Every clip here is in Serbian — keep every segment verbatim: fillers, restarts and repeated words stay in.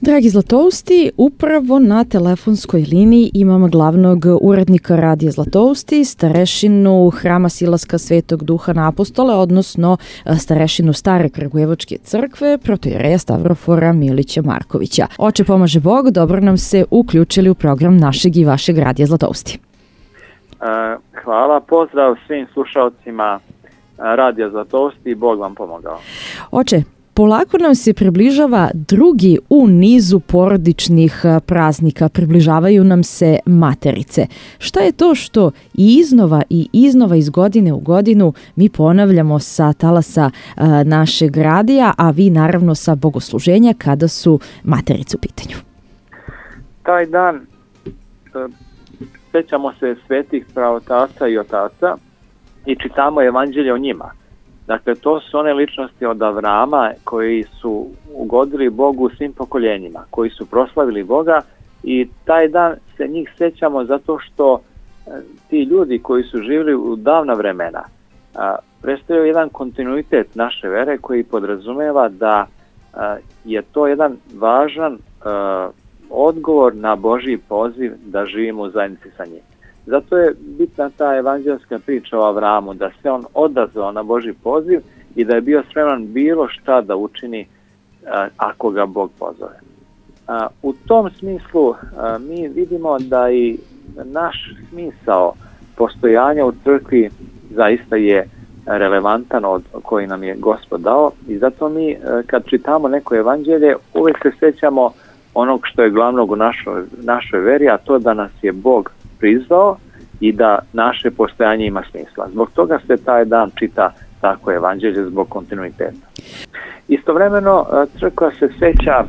Dragi Zlatousti, upravo na telefonskoj liniji imamo glavnog urednika Radija Zlatousti, starešinu Hrama Silaska Svetog Duha na Apostole, odnosno starešinu Stare Kragujevačke crkve, protoijereja Stavrofora Milića Markovića. Oče pomaže Bog, dobro nam se uključili u program našeg i vašeg Radija Zlatousti. Hvala, pozdrav svim slušalcima Radija Zlatousti i Bog vam pomogao. Oče, polako nam se približava drugi u nizu porodičnih praznika, približavaju nam se Materice. Šta je to što i iznova i iznova iz godine u godinu mi ponavljamo sa talasa našeg radija, a vi naravno sa bogosluženja kada su Materice u pitanju? Taj dan sećamo se svetih pravotaca i otaca i čitamo evanđelje o njima. Dakle, to su one ličnosti od Avrama koji su ugodili Bogu svim pokoljenjima, koji su proslavili Boga i taj dan se njih sećamo zato što ti ljudi koji su živjeli u davna vremena predstavljaju jedan kontinuitet naše vere koji podrazumeva da je to jedan važan odgovor na Božji poziv da živimo u zajednici sa njim. Zato je bitna ta evanđelska priča o Avramu, da se on odazvao na Božji poziv i da je bio spreman bilo šta da učini a, ako ga Bog pozove. A, u tom smislu a, mi vidimo da i naš smisao postojanja u crkvi zaista je relevantan od koji nam je Gospod dao i zato mi a, kad čitamo neko evanđelje uvijek se sećamo onog što je glavnog u našoj, našoj veri, a to da nas je Bog prizvao i da naše postojanje ima smisla. Zbog toga se taj dan čita tako evanđelje zbog kontinuiteta. Istovremeno crkva se seća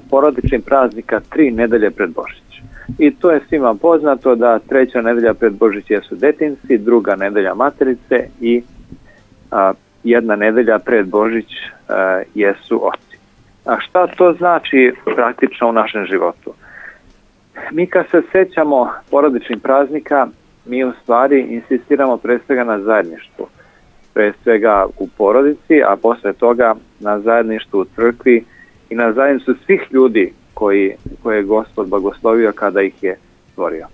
porodičnih praznika tri nedelje pred Božić. I to je svima poznato da treća nedelja pred Božić jesu detinci, druga nedelja Materice i a, jedna nedelja pred Božić a, jesu oci. A šta to znači praktično u našem životu? Mi kad se sećamo porodičnih praznika, mi u stvari insistiramo pre svega na zajedništvu. Pre svega u porodici, a posle toga na zajedništvu u crkvi i na zajedništvu svih ljudi koji, koje je Gospod blagoslovio kada ih je stvorio.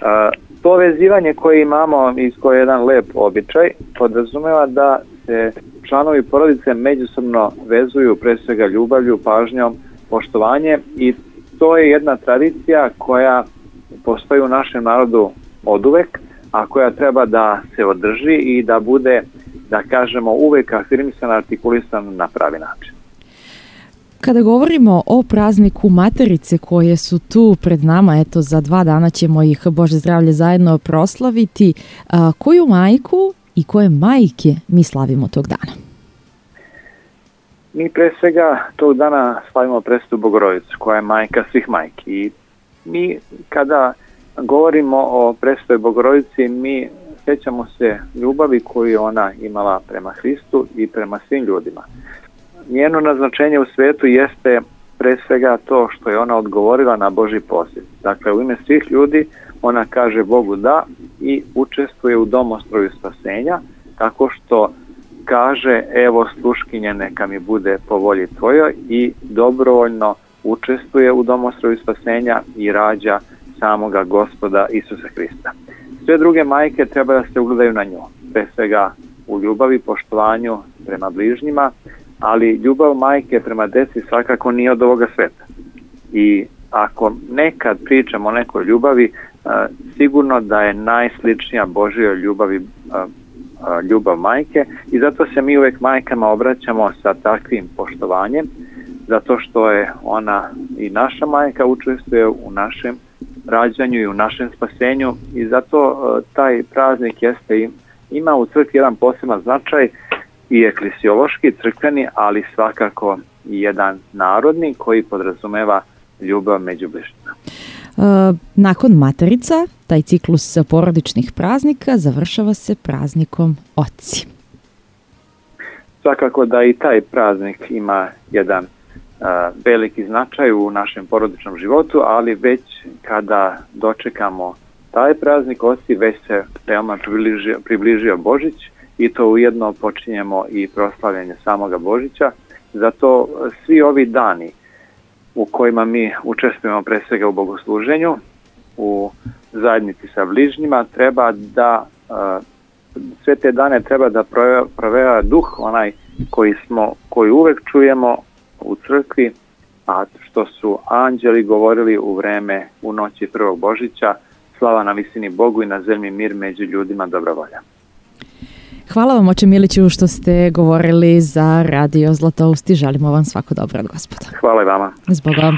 A, to vezivanje koje imamo i koje je jedan lep običaj podrazumeva da se članovi porodice međusobno vezuju pre svega ljubavlju, pažnjom, poštovanje i to je jedna tradicija koja postoji u našem narodu oduvek, a koja treba da se održi i da bude, da kažemo, uvek afirmisana, artikulisana na pravi način. Kada govorimo o prazniku Materice koje su tu pred nama, eto za dva dana ćemo ih, Bože zdravlje, zajedno proslaviti, a, koju majku i koje majke mi slavimo tog dana? Mi pre svega tog dana slavimo Presvetu Bogorodicu, koja je majka svih majki. I mi kada govorimo o Presvetoj Bogorodici, mi sećamo se ljubavi koju je ona imala prema Hristu i prema svim ljudima. Njeno naznačenje u svetu jeste pre svega to što je ona odgovorila na Božji poziv. Dakle, u ime svih ljudi ona kaže Bogu da i učestvuje u domostroju spasenja, tako što kaže, evo sluškinje neka mi bude po volji tvojoj i dobrovoljno učestvuje u domostroju spasenja i rađa samoga Gospoda Isusa Hrista. Sve druge majke treba da se ugledaju na nju, pre svega u ljubavi, poštovanju prema bližnjima, ali ljubav majke prema deci svakako nije od ovoga sveta. I ako nekad pričamo o nekoj ljubavi, sigurno da je najsličnija Božjoj ljubavi ljubav majke i zato se mi uvek majkama obraćamo sa takvim poštovanjem, zato što je ona i naša majka, učestvuje u našem rađanju i u našem spasenju i zato taj praznik jeste, ima u crkvi jedan poseban značaj i eklesiološki, crkveni, ali svakako i jedan narodni koji podrazumeva ljubav među bližnjima. Nakon Materica, taj ciklus porodičnih praznika završava se praznikom Oci. Svakako da i taj praznik ima jedan uh, veliki značaj u našem porodičnom životu, ali već kada dočekamo taj praznik Oci, već se veoma približio, približio Božić i to ujedno počinjemo i proslavljanje samoga Božića. Zato svi ovi dani u kojima mi učestvujemo pre svega u bogosluženju, u zajednici sa bližnjima, treba da sve te dane treba da proveva duh onaj koji smo, koji uvek čujemo u crkvi, a što su anđeli govorili u vreme u noći prvog Božića: slava na visini Bogu i na zemlji mir među ljudima dobra volja. Hvala vam, oče Miliću, što ste govorili za Radio Zlatoust i želimo vam svako dobro od Gospoda. Hvala i vama. S Bogom.